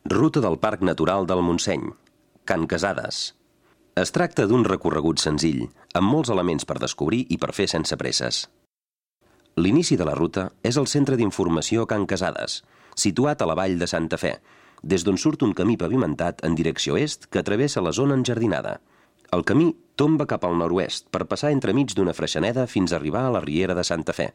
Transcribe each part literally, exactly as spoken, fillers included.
Ruta del Parc Natural del Montseny, Can Casades. Es tracta d'un recorregut senzill, amb molts elements per descobrir i per fer sense presses. L'inici de la ruta és el Centre d'Informació Can Casades, situat a la vall de Santa Fe, des d'on surt un camí pavimentat en direcció est que travessa la zona enjardinada. El camí tomba cap al nord-oest per passar entremig d'una freixeneda fins a arribar a la riera de Santa Fe.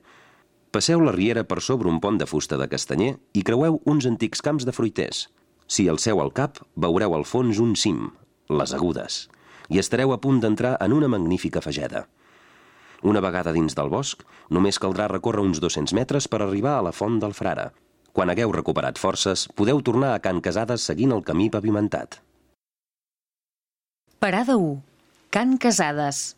Passeu la riera per sobre un pont de fusta de castanyer i creueu uns antics camps de fruiters. Si alceu el cap, veureu al fons un cim, les Agudes, i estareu a punt d'entrar en una magnífica fageda. Una vegada dins del bosc, només caldrà recórrer uns dos-cents metres per arribar a la Font del Frare. Quan hagueu recuperat forces, podeu tornar a Can Casades seguint el camí pavimentat. Parada u. Can Casades.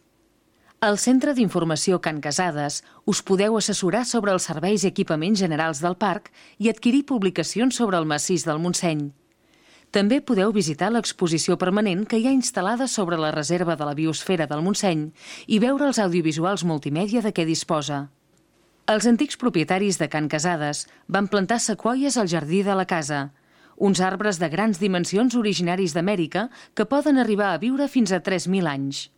Al Centre d'Informació Can Casades us podeu assessorar sobre els serveis i equipaments generals del parc i adquirir publicacions sobre el massís del Montseny. També podeu visitar l'exposició permanent que hi ha instal·lada sobre la reserva de la biosfera del Montseny i veure els audiovisuals multimèdia de què disposa. Els antics propietaris de Can Casades van plantar sequoies al jardí de la casa, uns arbres de grans dimensions originaris d'Amèrica que poden arribar a viure fins a tres mil anys.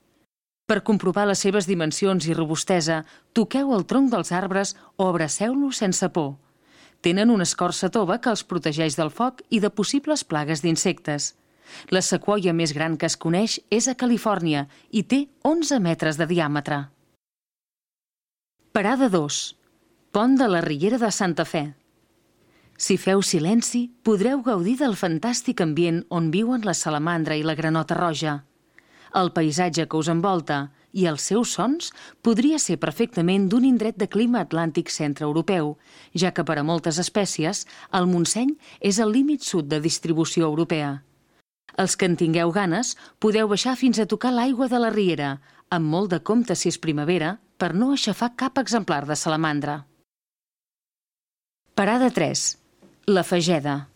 Per comprovar les seves dimensions i robustesa, toqueu el tronc dels arbres o abraceu-los sense por. Tenen una escorça tova que els protegeix del foc i de possibles plagues d'insectes. La sequoia més gran que es coneix és a Califòrnia i té onze metres de diàmetre. Parada dos. Pont de la Riera de Santa Fe. Si feu silenci, podreu gaudir del fantàstic ambient on viuen la salamandra i la granota roja. El paisatge que us envolta i els seus sons podria ser perfectament d'un indret de clima atlàntic centreeuropeu, ja que per a moltes espècies el Montseny és el límit sud de distribució europea. Els que en tingueu ganes podeu baixar fins a tocar l'aigua de la riera, amb molt de compte si és primavera, per no aixafar cap exemplar de salamandra. Parada tres. La Fageda.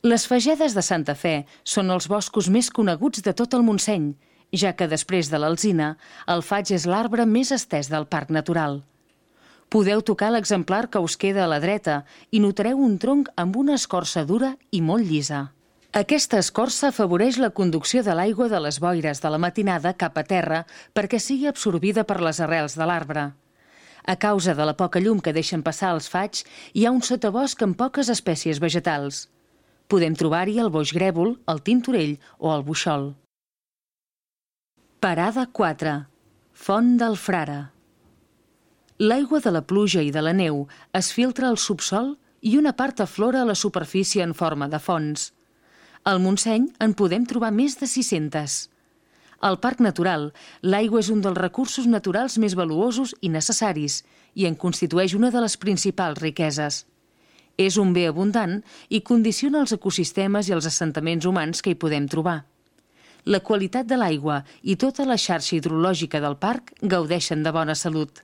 Les fagedes de Santa Fe són els boscos més coneguts de tot el Montseny, ja que després de l'alzina, el faig és l'arbre més estès del parc natural. Podeu tocar l'exemplar que us queda a la dreta i notareu un tronc amb una escorça dura i molt llisa. Aquesta escorça afavoreix la conducció de l'aigua de les boires de la matinada cap a terra perquè sigui absorbida per les arrels de l'arbre. A causa de la poca llum que deixen passar els faigs, hi ha un sotabosc amb poques espècies vegetals. Podem trobar-hi el boix grèvol, el tintorell o el buixol. Parada quatre. Font del Frare. L'aigua de la pluja i de la neu es filtra al subsòl i una part aflora a la superfície en forma de fonts. Al Montseny en podem trobar més de sis-centes. Al Parc Natural, l'aigua és un dels recursos naturals més valuosos i necessaris i en constitueix una de les principals riqueses. És un bé abundant i condiciona els ecosistemes i els assentaments humans que hi podem trobar. La qualitat de l'aigua i tota la xarxa hidrològica del parc gaudeixen de bona salut.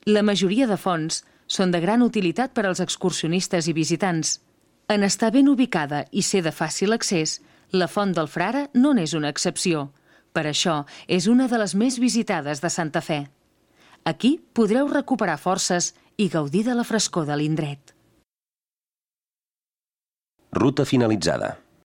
La majoria de fonts són de gran utilitat per als excursionistes i visitants. En estar ben ubicada i ser de fàcil accés, la Font del Frare no n'és una excepció. Per això és una de les més visitades de Santa Fe. Aquí podreu recuperar forces i gaudir de la frescor de l'indret. Ruta finalitzada.